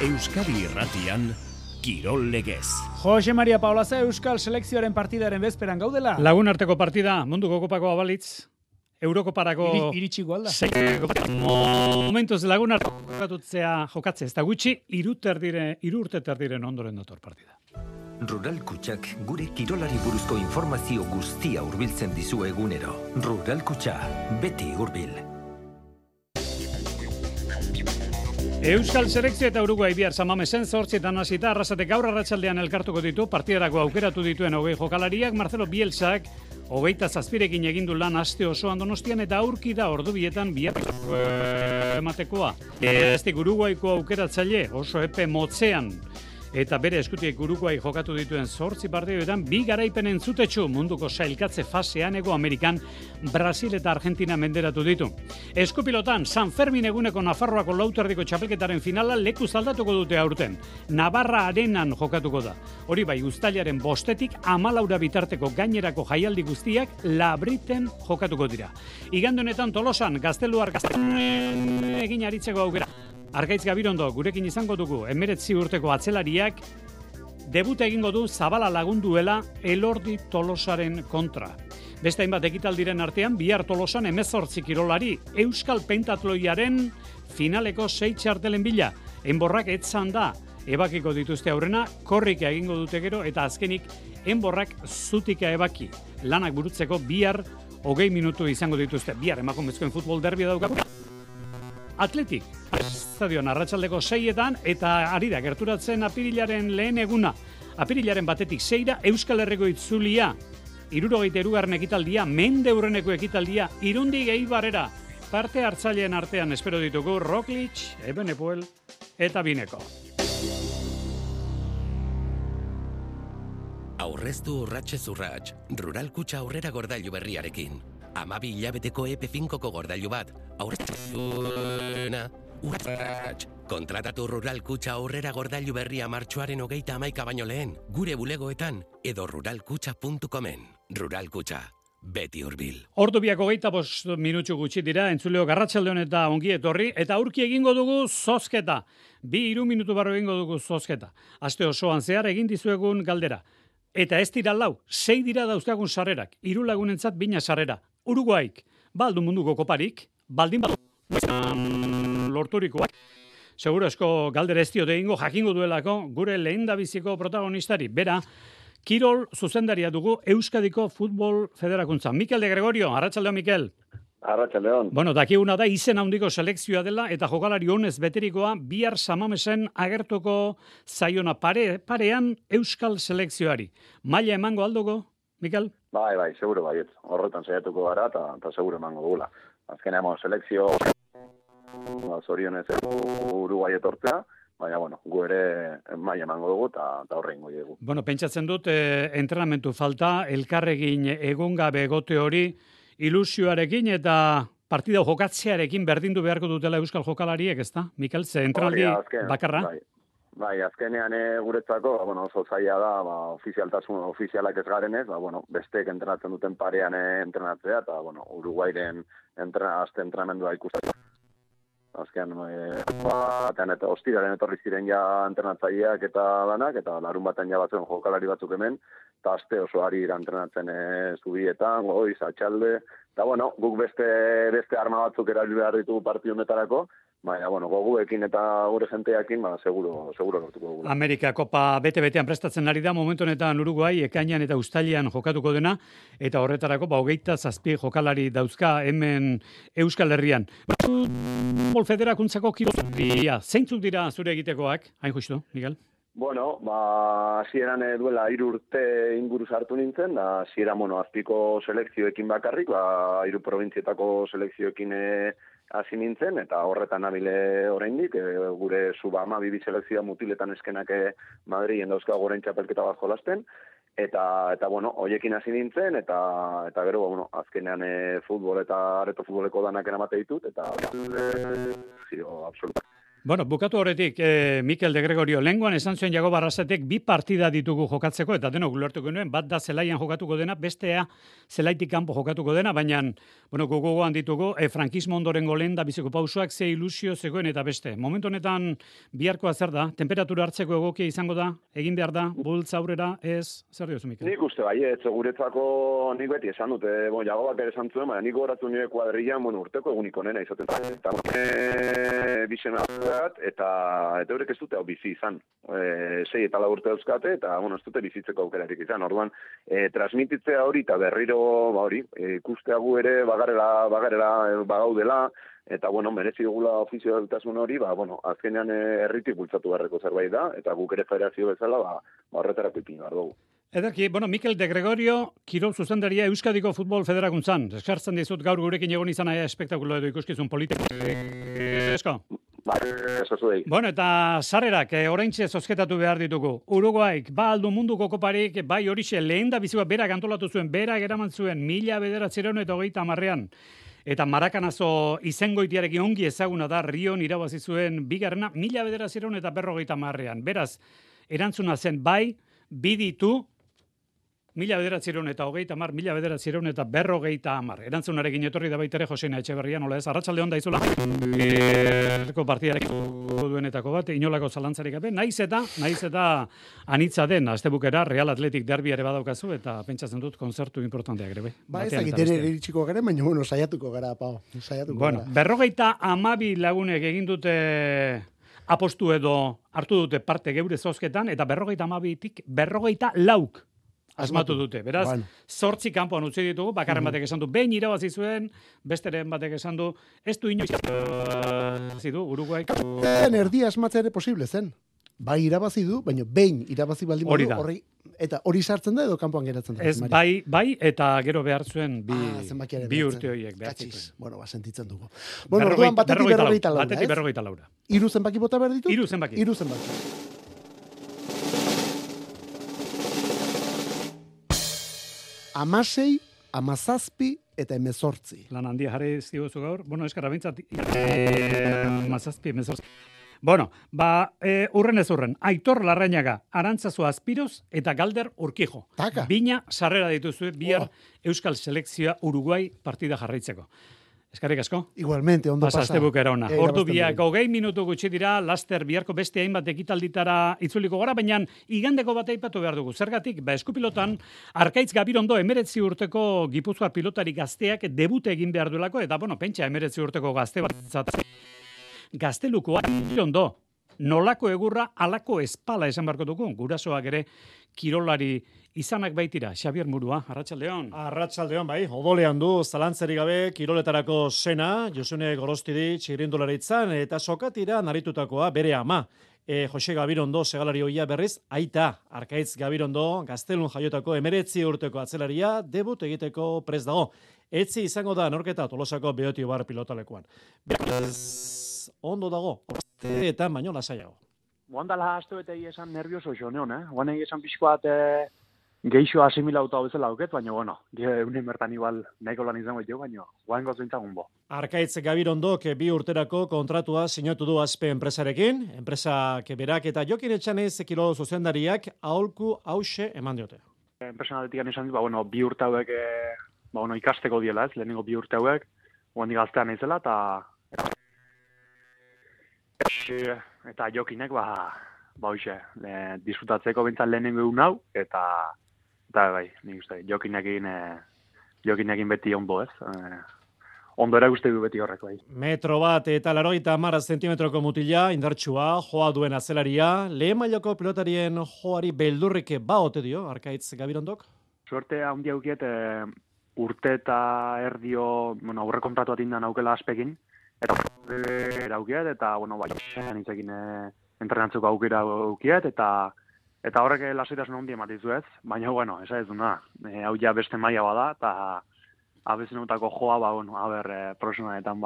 Euskadi Irratian, Kirol Legez. Jose Maria Paulaza Euskal selekzioaren partidaren bezperan gaudela. Lagunarteko partida, munduko kopako abalitz, Eurokoparako iritsi igual da. Momentuz lagunarteko jokatzea, ez da gutxi, 3 urte terdiren ondoren dator partida. Rural Kutxak gure kirolari buruzko informazio guztia hurbiltzen dizu egunero. Rural Kutxa, beti hurbil. Euskal selekzio eta Uruguai bihar Samamesen 8etan hasita Arrasatek gaur arratsaldean elkartuko ditu partidarako aukeratu dituen 20 jokalariak. Marcelo Bielsak 27rekin egin du lan aste osoan Donostian eta aurki da ordubietan bihar ematekoa. Estik Uruguaiko aukeratzaile oso epe motzean eta bere eskutik Uruguai jokatu dituen 8 partidoetan 2 garaipen entzutetsu munduko sailkatze fasean Hego Amerikan Brasil eta Argentina menderatu ditu. Eskupilotan San Fermin eguneko Nafarroako lauterdiko txapelketaren finala lekuz aldatuko dute aurten. Navarra Arenan jokatuko da. Hori bai, uztailaren 5etik 14 bitarteko gainerako jaialdi guztiak Labriten jokatuko dira. Igande honetan Tolosan Gazteluar egin aritzeko aukera. Arkaitz Gabirondo, gurekin izango dugu, 19 urteko atzelariak, debuta egingo du Zabala lagunduela Elordi Tolosaren kontra. Beste hainbat ekitaldiren artean, bihar Tolosan 18 kirolari, Euskal Pentatloiaren finaleko 6 txartelen bila. Enborrak etzan da, ebakiko dituzte aurrena, korrika egingo dute gero, eta azkenik, enborrak zutika ebaki. Lanak burutzeko bihar 20 minutu izango dituzte. Bihar emakumezkoen futbol derbia daukagu. Atletik, estadion arratsaldeko 6etan eta ari da gerturatzen apirilaren lehen eguna. Apirilaren 1etik 6ra Euskal Herriko itzulia, 73. ekitaldia, mendeurreneko ekitaldia, Irundik Eibarrera. Parte hartzaileen artean espero ditugu Roglic, Ebenepoel eta Bineko. Aurreztu urratsez urrats, Rural Kutxa aurrera gordailu berriarekin. 12 hilabeteko EP5ko gordailu bat, aurreztuena, urrats. Kontratatu Rural Kutxa aurrera gordailu berria martxoaren 31 baino lehen, gure bulegoetan edo ruralkutxa.comen. Rural Kutxa, beti hurbil. Ordu biak 25 minutxu gutxi dira, entzuleo Garratxaldeon eta ongi etorri, eta aurki egingo dugu zozketa. 2-3 minutu barro egingo dugu zozketa. Aste osoan zehar egin dizuegun galdera. Eta ez dira 4, 6 dira dauzkagun sarrerak, 3 lagunentzat 2 sarrera. Uruguaik, baldu munduko koparik, baldin lorturikoak. Seguro esko galdera ez diote egingo jakingo duelako gure lehendabiziko protagonistari. Bera, kirol zuzendaria dugu Euskadiko Futbol Federakuntza. Mikel de Gregorio, arratsaldeon Mikel. Arratsaldeon. Bueno, dakiguna da izen handiko selekzioa dela eta jokalari honez beterikoa bihar Samamesen agertuko zaiona parean Euskal selekzioari. Maila emango alduko, Mikel? Bai, seguro baiet. Horretan saiatuko gara eta seguro emango dugula. Azkenean selekzio zorionez Uruguai etortzea, baina gu ere maila emango dugu eta horre ingo dugu. Bueno, pentsatzen dut entrenamentu falta, elkarregin egun gabe egote hori, ilusioarekin eta partida jokatzearekin berdindu beharko dutela Euskal jokalariek, ezta? Mikel, ze entrenaldi bakarra? Bai, azkenean guretzako, oso zaila da, ofizialak ez garenez, besteek entrenatzen duten parean entrenatzea, eta, Uruguairen entrenamendua ikusten. Azkenean, eta ostiraren etorri ziren ja entrenatzaileak eta danak, eta larun baten ja batzuen jokalari batzuk hemen, eta aste oso ari entrenatzen zubietan, goiz, atxalde, eta, guk beste arma batzuk erabili behar ditugu partidu honetarako, baina, goguekin eta gure jenteakin, seguro lortuko dugu. Amerika Kopa bete-betean prestatzen ari da, momentu honetan Uruguai, ekainan eta uztailean jokatuko dena, eta horretarako, 27 jokalari dauzka hemen Euskal Herrian. Futbol Federakuntzako kirolia, zeintzuk dira zure egitekoak, hain justu, Miguel? Hasieran duela 3 urte inguru sartu nintzen, hasieran azpiko selekzioekin bakarrik, 3 probintzietako selekzioekin hasi nintzen, eta horretan nabile oraindik, gure sub-12 selekzioa mutiletan eskenak Madrilen dauzka goren txapelketa bat jolasten, eta hoiekin hasi nintzen, eta gero, azkenean futbol eta areto futboleko danak eramate ditut, eta absoluta. Bueno, bukatu horretik, Mikel de Gregorio, lenguan esan zuen Jago Barrasetek 2 partida ditugu jokatzeko, eta denok ulertuko nuen, bat da zelaian jokatuko dena, bestea zelaitik kanpo jokatuko dena, baina, bueno, gogoan ditugu, frankismo ondorengo lehen da biziko pausoak, ze ilusio zegoen eta beste. Momentu honetan biharkoa zer da? Temperatura hartzeko egokia izango da? Egin behar da? Bultz aurrera? Ez? Zer diozu, Mikel? Nik uste bai, guretzako nik beti esan dute, Jagobak ere esan zuen, baina nik goratu nire kuadrillan, urteko eguniko nena izaten. Eta bizena eta horrek ez dute hau bizi izan. 6 eta 4 urte dauzkate, eta ez dute bizitzeko aukerarik izan. Orduan, transmititzea hori eta berriro ikusteagu ere bagaudela, eta merezi dugula ofizioaltasun hori, azkenean herritik bultzatu beharreko zerbait da, eta guk ere federazio bezala, horretarako ipin behar dugu. Ederki, Mikel de Gregorio, kirol zuzendaria Euskadiko Futbol Federakuntzan. Eskertzen dizut gaur gurekin egon izan aia espektakulo edo ikuskizun politiko. Esko? Bueno, eta sarrerak, oraintxe zozketatu behar ditugu. Uruguaik, aldu munduko koparik, bai horixe, lehen da bizua berak antolatu zuen, berak eraman zuen, 1930 Eta Marakanazo izengoitiarekin ongi ezaguna da, Rion irabazi zuen bigarrena, 1950 Beraz, erantzuna zen bai, biditu, 1930, 1950. Erantzunarekin etorri da baitere Joseina Etxeberria, nola ez, arratsalde on daizula. Partidarekin duenetako bat, inolako zalantzarik gabe, naiz eta anitza den, astebukera Real Athletic derbi ere badaukazu, eta pentsatzen dut konzertu importanteak ere. Ba, ez agitere iritsiko gara, baina, saiatuko gara, Pau. Bueno, 52 lagunek egin dute apostu edo hartu dute parte geure zozketan, eta 52tik 54 asmatu dute. Beraz, 8 kanpoan utzi ditugu, bakarren batek esan du, behin irabazi zuen, besteren batek esan du, ez du inoiz zidu, Uruguaik. Erdia asmatzea ere posible zen. Bai irabazi du, baina behin irabazi baldin badu, eta hori sartzen da edo kanpoan geratzen da. Ez, bai, eta gero behar zuen bi urte horiek. Bueno, sentitzen dugu. Bueno, orduan batetik 44. Batetik 44. 3 zenbaki bota behar ditu? 3 zenbaki. 3 zenbaki. Amasei, 17 eta 18. Lan handia jarri ziozu gaur. Bueno, eskara bintzat. 17, 18. Bueno, urren ez urren. Aitor Larrañaga, Arantzazu Azpiroz eta Galder Urkijo. Taka. Bina sarrera dituzue bihar Euskal Selekzioa Uruguai partida jarraitzeko. Eskarrik asko. Igualmente, ondo pasa. Astebukera ona. Ordu biak 20 minutu gutxi dira, laster biharko beste hainbat ekitalditara itzuliko gara, baina igandeko bat aipatu behar dugu. Zergatik, eskupilotan, Arkaitz Gabirondo 19 urteko Gipuzkoar pilotari gazteak debute egin behar duelako, eta pentsa 19 urteko gazte bat gaztelukoa ondo. Nolako egurra, alako espala esan barko dugu. Gurasoak ere kirolari izanak baitira. Xabier Murua, arratsaldeon. Arratsaldeon, bai. Odolean du, zalantzeri gabe, kiroletarako sena, Josune Gorostidi txirindularitzan, eta sokatira naritutakoa bere ama. Jose Gabirondo segalari hoia berriz, aita, Arkaitz Gabirondo, gaztelun jaiotako 19 urteko atzelaria, debut egiteko prest dago. Etzi izango da norketa Tolosako Beotiobar pilotalekuan. Ondo dago, eta baino lasaiago. Guandala hastu eta esan nervioso joneon, Guan esan pixkoat geixo asimilauta bezala auket, baina, eunen bertan igual nahiko lan izango jo, baina, guan gozintzagun bo. Arkaitz Gabirondok 2 urterako kontratua sinatu du Aspe enpresarekin, enpresak berak eta Jokin Etxanez kirol zuzendariak aholku hause eman diote. Enpresanaletikan esan dut, 2 urte hauek, ikasteko diela ez, lehenengo 2 urte hauek, guandik gaztean izela, eta Jokinek, disfrutatzeko bintzat lehenengo egun hau, eta bai, nik uste, Jokinekin beti ondo ez, ondo erakuste du beti horreko. 1 eta 80 zentimetroko mutila, indartsua, joa duen azelaria, lehen mailako pilotarien joari beldurrik baote dio, Arkaitz Gabirondok? Suerte handi haukiet, urte eta erdio, aurre kontratu atindan aukela Aspekin, eta aukiet, eta, nintzekin entrenatzeko aukera aukiet, eta horrek lasaitasun handi ematizu ez, baina, esa ez duna, hau ja beste maila bada, eta abezenutako joa, profesionaletan,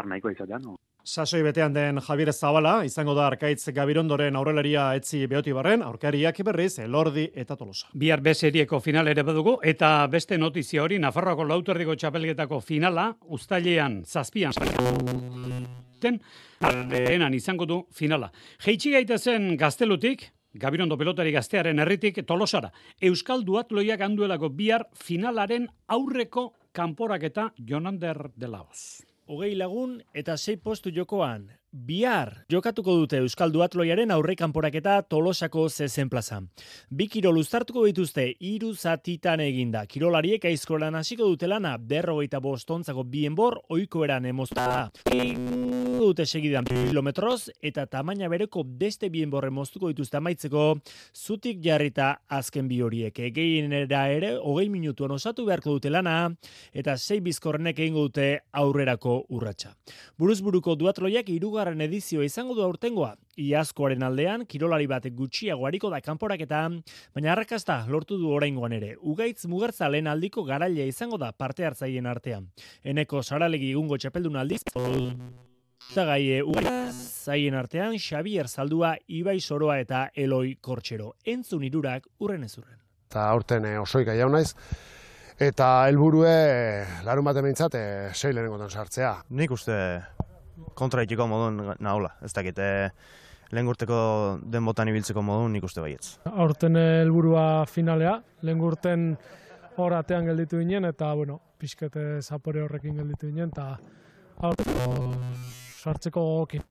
nahiko izatean. Sasoi betean den Javier Zabala, izango da Arkaitz Gabirondoren aurrelaria Etzi Beotibarren, aurkariak berriz, Elordi eta Tolosa. Bihar B-serieko final ere badugu, eta beste notizia hori, Nafarroako Lauterdiko txapelketako finala, uztailean, 7 aurten lehenan izango du finala. Jeitsi gaitezen Gaztelutik, Gabirondo pelotari gaztearen herritik Tolosara. Euskal duatloiak handuelako bihar finalaren aurreko kanporaketa Jonander de Laos. 20 lagun eta 6 postu jokoan. Bihar jokatuko dute Euskal duatloiaren aurre kanporaketa Tolosako zezen plazan. 2 kirol uztartuko dituzte 3 zatitan eginda. Kirolariek aizkolan hasiko dute lana 45 ontzako bi enbor ohiko eran emoztuta. Dute segidan kilometroz eta tamaina bereko beste bi enborre moztuko dituzte amaitzeko zutik jarrita azken bi horiek. Gehienera ere 20 minutuan osatu beharko dute lana eta 6 bizkorrenek egingo dute aurrerako urratsa. Buruzburuko duatloiak hirugarren edizioa izango du aurtengoa. Iazkoaren aldean, kirolari batek gutxiago hariko da kanporaketan, baina arrakasta lortu du oraingoan ere. Ugaitz Mugertza lehen aldiko garailea izango da parte hartzaileen artean. Eneko Saralegi egungo txapeldun aldiz, eta gai zaien artean Xabier Zaldua, Ibai Soroa eta Eloi Kortxero. Entzun hirurak urren ez urren. Eta aurten osoika jau naiz, eta helburue larun baten behintzat 6 lehenengotan sartzea. Nik uste kontraitiko modun nahola, ez dakit, lehen urteko den botan ibiltzeko modun nik uste baietz. Aurten helburua finalea, lehen urten hor atean gelditu ginen, eta pixkete zapore horrekin gelditu ginen, eta sartzeko gogokin.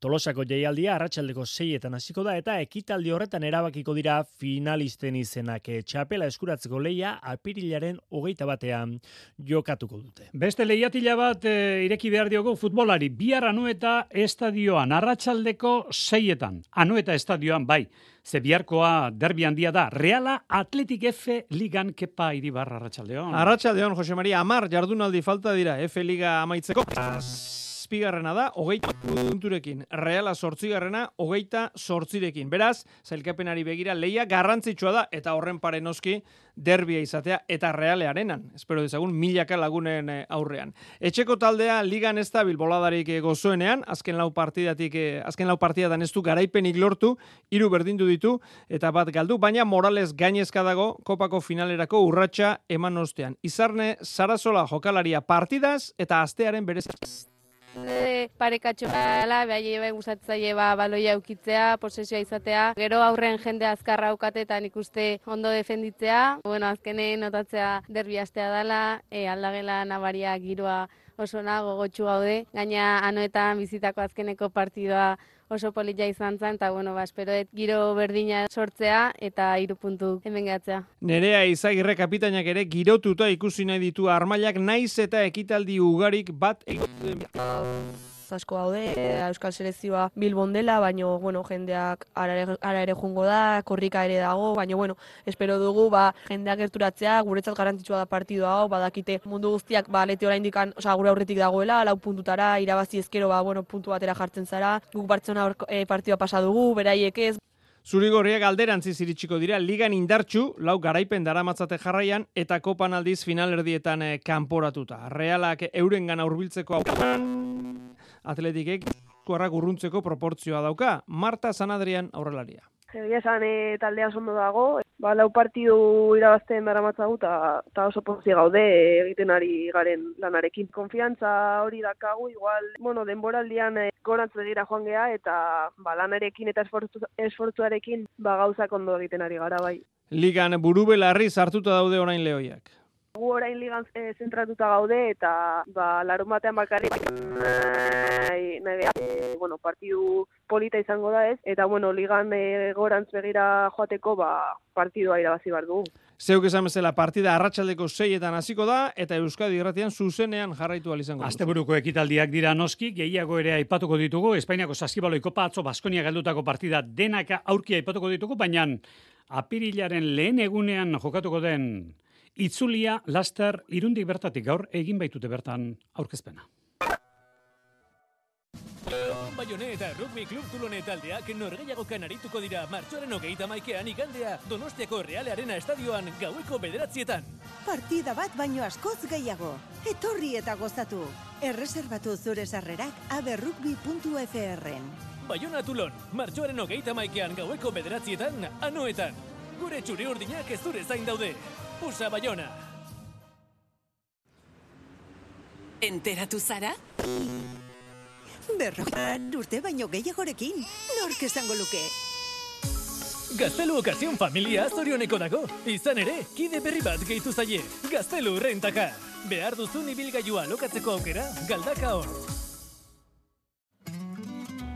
Tolosako jaialdia arratsaldeko 6etan hasiko da eta ekitaldi horretan erabakiko dira finalisten izenak. Txapela eskuratzeko lehia apirilaren 21ean jokatuko dute. Beste lehiatila bat ireki behar diogu futbolari. Bihar Anoeta estadioan, arratsaldeko 6etan. Anoeta estadioan bai. Ze biharkoa derbi handia da. Reala Athletic F Ligan Kepa Iribar arratsaldeon. Arratsaldeon, Jose Maria, 10 jardunaldi falta dira F Liga amaitzeko. Bigarrena da, 20 punturekin. Reala 8garrena, 28rekin. Beraz, sailkapenari begira lehia garrantzitsua da, eta horren pare noski derbia izatea, eta Realearenan. Espero dezagun, milaka lagunen aurrean. Etxeko taldea ligan ez da bilboladarik gozoenean, azken lau partidatan ez du garaipenik lortu, 3 berdindu ditu, eta bat galdu, baina Morales gainezka dago kopako finalerako urratsa eman ostean. Izarne Sarasola jokalaria partidaz, eta astearen berez. Parekatxo bai gustatzaile baloia eukitzea, posesioa izatea, gero aurren jende azkarra aukatetan ikuste ondo defenditzea, azkenen notatzea derbi astea dela, aldagela nabaria giroa oso gogotsu gaude, gaina Anoetan bizitako azkeneko partidoa oso polita izan zen, eta espero giro berdina sortzea eta 3 puntu hemen gehatzea. Nerea Izagirre kapitainak ere girotuta ikusi nahi ditu armailak naiz eta ekitaldi ugarik bat asko gaude, Euskal Selekzioa Bilbon dela, baina jendeak ara ere jungo da, korrika ere dago, baina espero dugu jendeak gerturatzea, guretzat garrantzitsua da partido hau, badakite mundu guztiak lete oraindik gure aurretik dagoela, 4 puntutara, irabazi ezkero puntu batera jartzen zara, guk Bartzelona partidua pasa dugu, beraiek ez. Zurigorriak alderantziz iritsiko dira, ligan indartsu, 4 garaipen daramatzate jarraian, eta kopan aldiz finalerdietan kanporatuta. Realak eurengana hurbiltzeko Atletikek kuarrak urruntzeko proportzioa dauka. Marta Sanadrian aurrelaria. Egia esan taldea ondo dago, 4 partidu irabazten daramatzagu eta oso pozik gaude egiten ari garen lanarekin. Konfiantza hori dakagu, igual, denboraldian gorantz begira joan gea eta lanarekin eta esfortzuarekin gauzak ondo egiten ari gara bai. Ligan burubelarri sartuta daude orain lehoiak. Gu orain ligan zentratuta gaude eta larun batean bakarrik partidu polita izango da ez, eta ligan gorantz begira joateko partidua irabazi behar dugu. Zeuk esan bezala partida arratsaldeko 6etan hasiko da eta Euskadi Irratian zuzenean jarraitu ahal izango. Asteburuko ekitaldiak dira noski, gehiago ere aipatuko ditugu, Espainiako Saskibaloi Kopa atzo Baskonia galdutako partida denaka aurki aipatuko ditugu, baina apirilaren lehen egunean jokatuko den itzulia laster Irundik bertatik gaur egin baitute bertan aurkezpena. Baione eta Rugby Club Tulone taldeak norgehiagokan arituko dira martxoaren 31ean igandea Donostiako Realearena estadioan gaueko 9:00. Partida bat baino askoz gehiago. Etorri eta gozatu. Erreserbatu zure sarrerak aberrugby.frn. Baiona Tulon, martxoaren 31ean gaueko 9:00 Anoetan. Gure txuri urdinak ez zure zain daude. Usa Baiona. Enteratu zara? 100 urte baino gehiagorekin, nork esango luke? Gaztelu Okazion familia zorioneko dago. Izan ere, kide berri bat gehitu zaie. Gaztelu Rentaka. Behar duzun ibilgailua lokatzeko aukera, galdaka hor.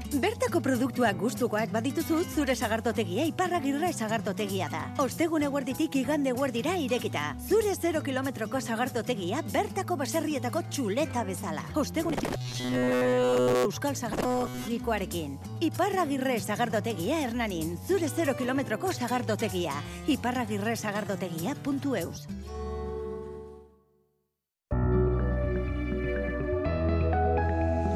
Bertako produktuak gustukoak badituzu, zure sagardotegia Iparragirre sagardotegia da. Ostegun eguerditik igande eguerdira irekita. Zure 0 kilometroko sagardotegia bertako baserrietako txuleta bezala. Ostegun Euskal Sagardotegikoarekin. Iparragirre sagardotegia Hernanin. Zure 0 kilometroko sagardotegia. iparragirresagardotegia.eus.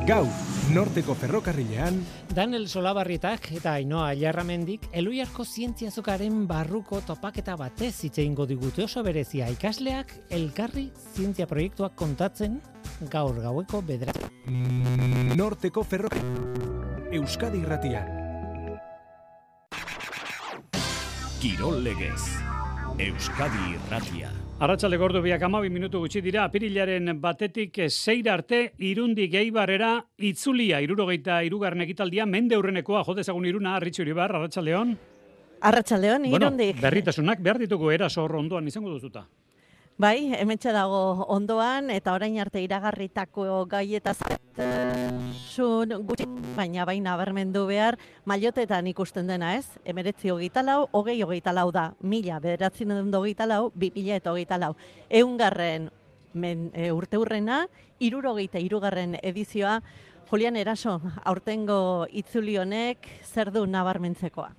Gaur, Norteko ferrokarrilean, Daniel Solabarrietak eta Ainhoa Aiarramendik Eluiarko zientziazokaren barruko topaketa batez hitz egingo digute oso berezia ikasleak elkarri zientzia proiektuak kontatzen gaur gaueko 9. Norteko ferrokarrilean, Euskadi Irratian. Kirol legez, Euskadi Irratia. Arratsaldeko ordu 12 minutu gutxi dira, apirilaren 1 seira arte, Irundik Eibarrera itzulia 73. ekitaldia, mende aurrenekoa, jo dezagun Iruna, Arritxu Iribar, arratsaldeon. Arratsaldeon, Irundik. Bueno, berritasunak behar ditugu eraso hor ondoan izango duzuta. Bai, hementxe dago ondoan, eta orain arte iragarritako gaietaz gutxi, baina baina bermendu behar, mailotetan ikusten dena ez, 1924, 2024 da, 1924, 2024. 100. Urte hurrena, 73. edizioa, Julian Eraso, aurtengo itzuli honek zer du nabarmentzekoa?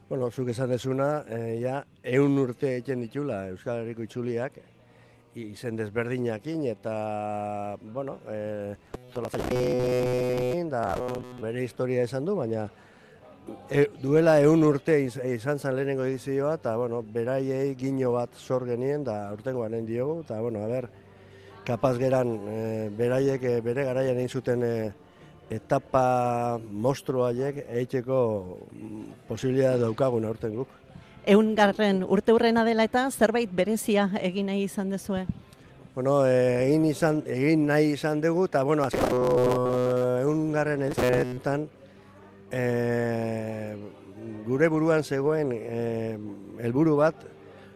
Bueno, zuk esan dezuna, ja, 100 urte egiten ditula Euskal Herriko itzuliak, izen desberdinakin, eta, bueno, da bere historia esan du, baina duela 100 urte izan zen lehenengo edizioa, eta, bueno, beraiei gino bat zor genien, da aurtengo anen diogu, eta, bueno, a ber, kapaz geran, beraiek bere garaian egin zuten etapa monstruaiek egiteko posibilitatea daukagun aurten guk. 100. urte hurrena dela eta zerbait berezia egin nahi izan dezue? Bueno, egin nahi izan dugu, eta, bueno, 100. edizion gure buruan zegoen helburu bat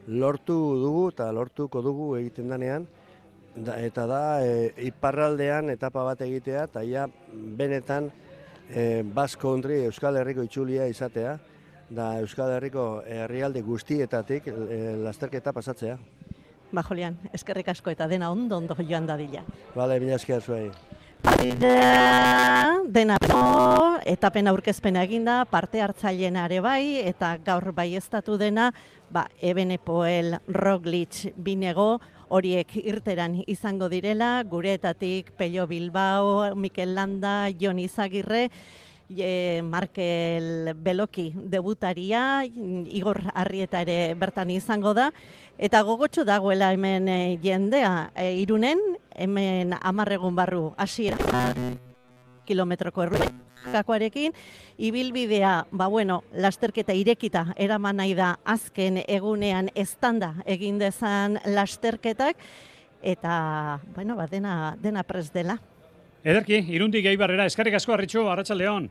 lortu dugu eta lortuko dugu egiten danean, eta da iparraldean etapa bat egitea, eta ja benetan Basque Country Euskal Herriko itzulia izatea, da Euskal Herriko herrialde guztietatik lasterketa pasatzea. Ba, Julian, eskerrik asko eta dena ondo joan dadila. Bale, mila esker zuei. Dena etapen aurkezpena eginda, parte hartzaileena ere bai, eta gaur baieztatu dena, Ebenepoel, Roglic, Binego, horiek irteran izango direla, gureetatik Pello Bilbao, Mikel Landa, Jon Izagirre, Markel Beloki debutaria, Igor Arrieta ere bertan izango da, eta gogotsu dagoela hemen jendea Irunen, hemen 10 egun barru hasiera kilometroko errutakakoarekin, ibilbidea, lasterketa irekita eraman nahi da azken egunean eztanda egin dezan lasterketak, eta, dena prest dela. Ederki, Irundik Eibarrera, eskerrik asko Arritxu, arratsaldeon.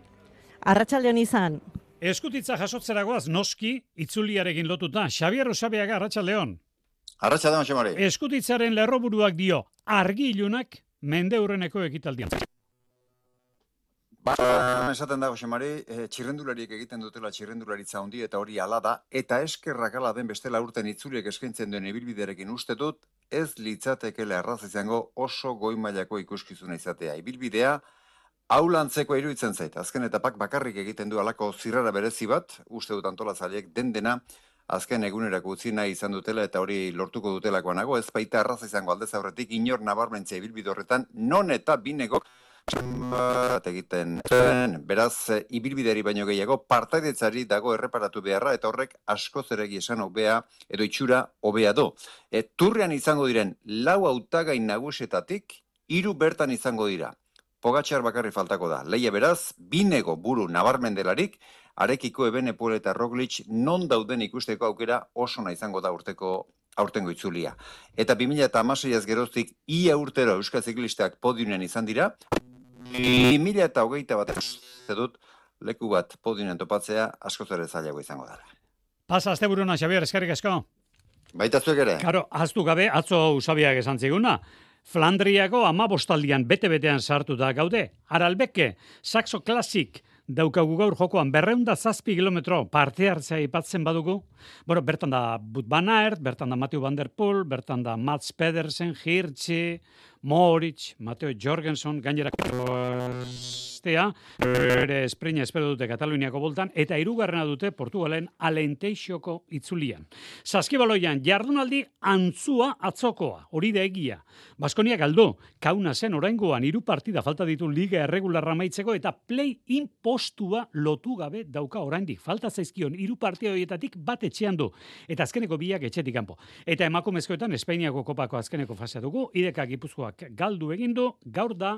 Arratsaldeon izan. Eskutitza jasotzeragoaz noski itzuliarekin lotuta. Xabier Osabeaga, arratsaldeon. Arratsaldeon, Xamari. Eskutitzaren lerroburuak dio, argi ilunak mende aurreneko ekitaldian. Esaten dago, Xamari, txirrendulariek egiten dutela txirrendularitza handi eta hori ala da, eta eskerrak ala den bestela urten itzuliek eskaintzen duen ibilbidearekin uste dut, ez litzatekela erraz izango oso goi mailako ikuskizuna izatea. Ibilbidea, haulantzeko iruditzen zait, azken etapak bakarrik egiten du alako zirrara berezi bat, uste dut antolatzaileek dena, azken egunerako utzi nahi izan dutela eta hori lortuko dutelakoa nago, ez baita erraz izango aldez aurretik inor nabarmentzia ibilbide horretan, non eta Binegok bat egiten beraz ibilbideri baino gehiago partaidetzari dago erreparatu beharra eta horrek askoz eregi esan hobea edo itxura hobea do. Turrean izango diren 4 hautagai nagusietatik 3 bertan izango dira. Pogačar bakarri faltako da. Leia beraz, Binego buru nabarmen delarik, Arekiko Ebenepoel eta Roglic non dauden ikusteko aukera oso na izango da aurtengo itzulia. Eta 2016 geroztik ia urtero Euskal Ziklistak podiumen izan dira, 2021 dut leku bat podioan topatzea askoz ere zailago izango dela. Pasa asteburuna, Xabier, eskerrik asko. Baita zuek ere. Karo, ahaztu gabe, atzo Usabiak esan ziguna. Flandriako 15 bete-betean sartuta gaude. Aralbeke, Saxo Classic daukagu gaur jokoan 207 kilometro parte hartzea ipatzen badugu. Bueno, bertan da Wout van Aert, bertan da Mathieu van der Poel, bertan da Mats Pedersen, Hirschi, Moritz, Mateo Jorgensen, gainerako ere esprina espero dute Kataluniako boltan, eta hirugarrena dute Portugalen Alenteixoko itzulian. Saskibaloian jardunaldi antzua atzokoa, hori da egia. Baskonia galdu, Kaunasen oraingoan 3 partida falta ditu liga erregularra amaitzeko eta play-in postua lotu gabe dauka oraindik. Falta zaizkion 3 partida horietatik bat etxean du, eta azkeneko biak etxetik kanpo. Eta emakumezkoetan Espainiako kopako azkeneko fasea dugu, Ideka Gipuzkoak galdu egin du, gaur da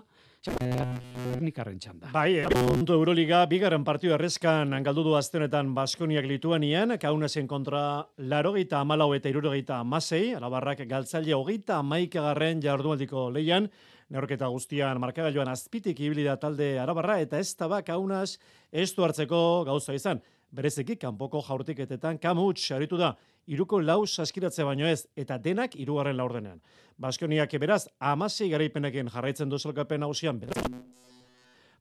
Nikarren txanda. Bai, puntu Euroliga, bigarren partidu errezkan galdu du azte honetan Baskoniak Lituanian, Kaunasen kontra 84 eta 76, Alabarrak galtzaile 31garren jardunaldiko leian, neurketa guztian markagailuan azpitik ibili da talde arabarra, eta ez da Kaunas ez du hartzeko gauza izan. Bereziki, kanpoko jaurtiketetan Kamuts aritu da, 3 saskiratze baino ez, eta denak 3. laurdenean. Baskoniak beraz, 16 garaipenekin jarraitzen du sailkapen nagusian.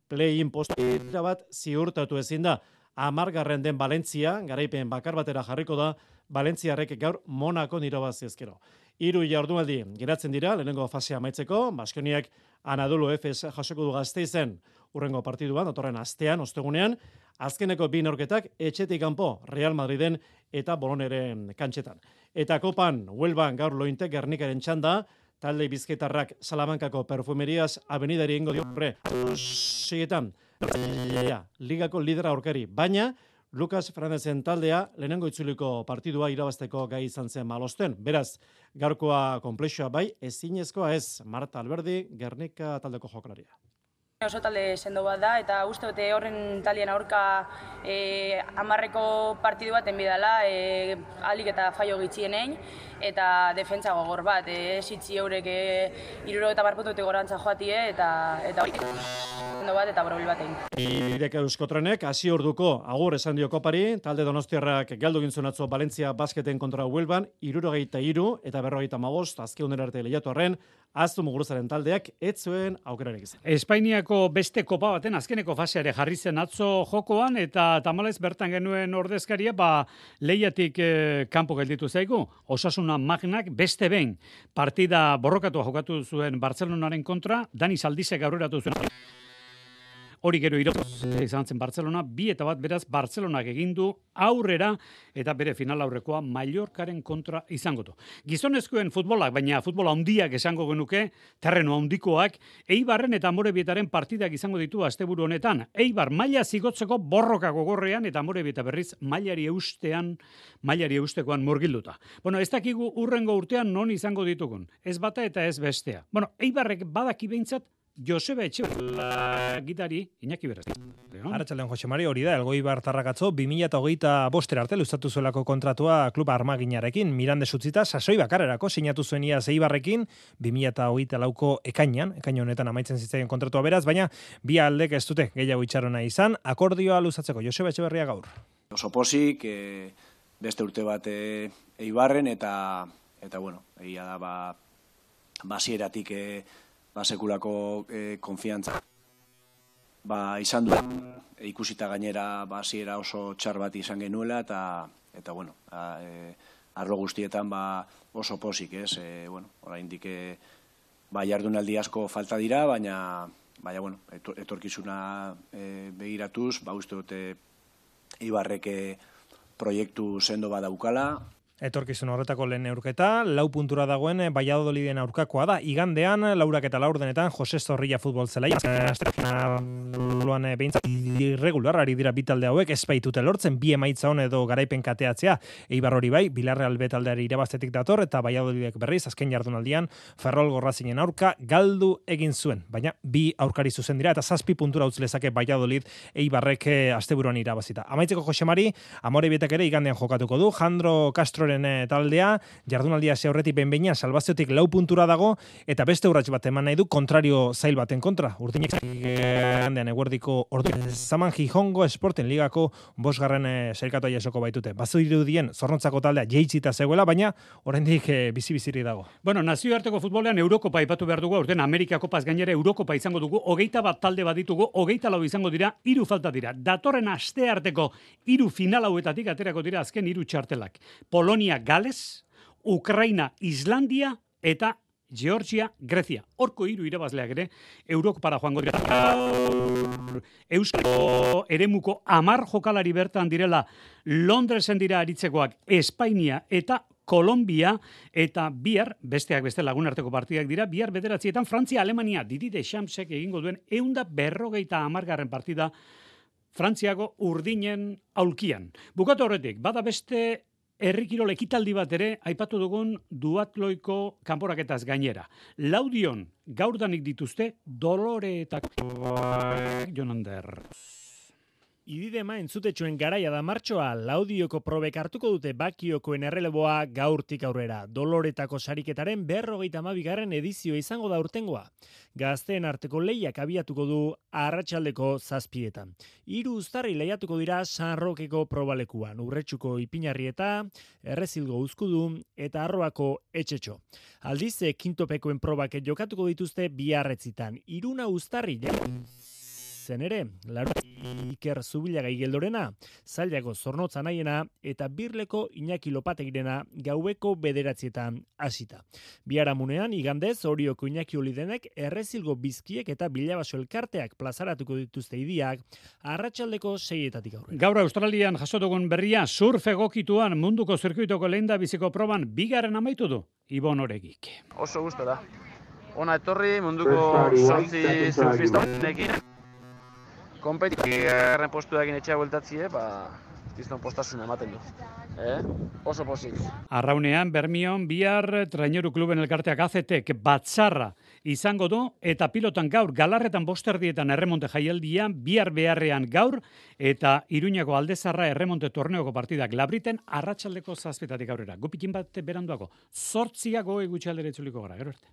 Play-in postera bat ziurtatu ezin da. 10. den Valentzia, garaipen bakar batera jarriko da, Valentziarrek gaur Monakon irabazi ezkero. 3 jardunaldi geratzen dira, lehenengo fasea amaitzeko, Baskoniak Anadolu Efes jasoko du Gasteizen urrengo partiduan, datorren astean, ostegunean, azkeneko 2 neurketak etxetik kanpo Real Madriden eta Boloneren kantxetan. Eta kopan, Huelban gaur Lointek Gernikaren txanda, talde bizkaitarrak Salamankako Perfumerias avenidari ingo diopre. Sietan, ligako lidera aurkari, baina Lucas Fernandezen taldea lehenengo itzuliko partidua irabazteko gai izan zen Malosten. Beraz, gaurkoa konplexua bai, ezinezkoa ez, Marta Alberdi, Gernika taldeko jokalaria. Oso talde sendo bat da, eta uste dute horren talien aurka 10 partidu bat enbidala, alik eta faio gitxienein, eta defentsa gogor bat, esitzi eurek 70 puntutik gorantza joatie, eta hori sendo bat eta borobil batein. Ideka Euskotrenek, hasi orduko agur esan dio kopari, talde donostiarrak galdu gintzun atzo Valentzia basketen kontra Huelban, 73 eta 55, azkeunera arte lehiatu arren, Aztu Muguruzaren taldeak ez zuen aukerarik izan. Espainiako beste kopa baten azkeneko faseare jarri zen atzo jokoan, eta tamalez bertan genuen ordezkaria, lehiatik kanpo gelditu zaigu. Osasuna Magnak beste behin partida borrokatua jokatu zuen Bartzelonaren kontra, Dani Zaldizek aurreratu zuen. Hori gero izan zen Barcelona, 2-1 beraz Barcelonak egin du aurrera eta bere final aurrekoa Mallorcaren kontra izango du. Gizonezkoen futbolak, baina futbola handiak esango genuke, terreno handikoak, Eibarren eta Amorebietaren partidak izango ditu asteburu honetan. Eibar maila zigotzeko borroka gogorrean eta Amorebieta berriz mailari eustekoan murgilduta. Bueno, ez dakigu urrengo urtean non izango ditugun. Ez bata eta ez bestea. Bueno, Eibarrek badaki behintzat Joseba Etxeberria gitari Iñaki Beraz. Arratsaldeon Jose Mari, hori da, Elgoibar Tarrakatzo 2025 arte luzatu zuelako kontratua klub Armaginarekin, Mirande Sutzita sasoi bakarrerako sinatu zuen iaz Eibarrekin 2024ko ekainean honetan amaitzen zitzaien kontratua beraz, baina bi aldek ez dute gehiago itxarona izan, akordioa luzatzeko Joseba Etxeberria gaur. Oso posik, beste urte bat Eibarren eta bueno, egia da basieratik sekulako konfiantza izan du, ikusita gainera hasiera oso txar bat izan genuela eta bueno, arlo guztietan oso posik, ez? Bueno, oraindik jardunaldi asko falta dira, baina bueno, etorkizuna begiratuz, uste dute Eibarrek proiektu sendo bat daukala. Etorkizun horretako lehen neurketa, 4 puntura dagoen Valladoliden aurkakoa da. Igandean, 4:04 Jose Zorrilla futbol zelaia. Luan behintzat irregular ari dira bitalde hauek, ez baitute lortzen, bi emaitza hon edo garaipen kateatzea. Eibar hori bai, Villarreal B taldeari irabaztetik dator, eta Valladolidek berriz, azken jardunaldian, Ferrol Gorrazinen aurka galdu egin zuen. Baina, bi aurkari zuzen dira, eta 7 puntura utz lezake Valladolid Eibarrek asteburuan irabazita. Amaitzeko Jose Mari, Amorebietak ere igandean jokatuko du, Jandro Castro Castroren taldea, jardunaldia hasi aurretik behin-behinean salbaziotik 4 puntura dago, eta beste urrats bat eman nahi du kontrario zail baten kontra. Urdinek gandean eguerdiko ordu. Zaman Gijongo Esporten ligako 5. sailkatoa jasoko baitute. Bazu irudien zorrontzako taldea jeitsita zegoela, baina oraindik bizi-biziri dago. Bueno, nazioarteko futbolean Eurokopa aipatu behar dugu, aurten Amerika Kopaz gainera Eurokopa izango dugu, 21 talde baditugu, 24 izango dira, 3 falta dira. Datorren astearteko 3 final hauetatik aterako dira azken 3 txartelak. Polonia, Gales, Ukraina, Islandia eta Georgia, Grecia. Horko 3 irabazleak ere Eurokopara joango dira. Euskal eremuko 10 jokalari bertan direla Londresen dira aritzekoak Espainia eta Kolombia, eta bihar, besteak beste lagunarteko partidak dira, bihar 9:00 Frantzia, Alemania, Didi Deschamps-ek egingo duen 150. partida Frantziako urdinen aulkian. Bukatu horretik, bada beste herrikirol ekitaldi bat ere, aipatu dugun duatloiko kanporaketaz gainera. Laudion, gaurdanik dituzte, Doloreetako Jonander. Ididema entzutetxoen garaia da martxoa, Laudioko probek hartuko dute Bakiokoen erreleboa gaurtik aurrera. Doloretako sariketaren 52. edizioa izango da urtengoa. Gazteen arteko lehiak abiatuko du arratsaldeko 7:00. 3 uztarri lehiatuko dira San Rokeko probalekuan, Urretxuko Ipinarrieta, Errezilgo Uzkudu eta Arroako Etxetxo. Aldiz, kintopekoen probak jokatuko dituzte biarretzitan. 3 uztarri zen ere, Iker Zubilagai Geldorena, Zailako Zornotza Naiena eta Birleko Iñaki Lopategirena gaueko 9:00 hasita. Biharamunean, igandez, Orioko Iñaki Olidenek, Errezilgo Bizkiek eta Bilabaso Elkarteak plazaratuko dituzte idiak, arratsaldeko 6:00 aurrera. Gaur Australian jaso dugun berria, surf egokituan munduko zirkuitoko lehen biziko proban 2. amaitu du, Ibon Oregik. Oso gustora. Ona etorri munduko 8 surfistanekin. Kompetigarren postuarekin etxea bueltatzie, kriston postasuna ematen du. Oso pozik. Arraunean, Bermion, bihar Traineru Kluben elkarteak AZTek batzarra izango du, eta pilotan gaur, Galarretan 5:00 erremonte jaialdia, bihar beharrean gaur, eta Iruñako Aldezarra erremonte torneoko partidak Labriten arratsaldeko 7:00 aurrera. Gupikin bat beranduago, 8:00 gutxi aldera itzuliko gara, gero arte.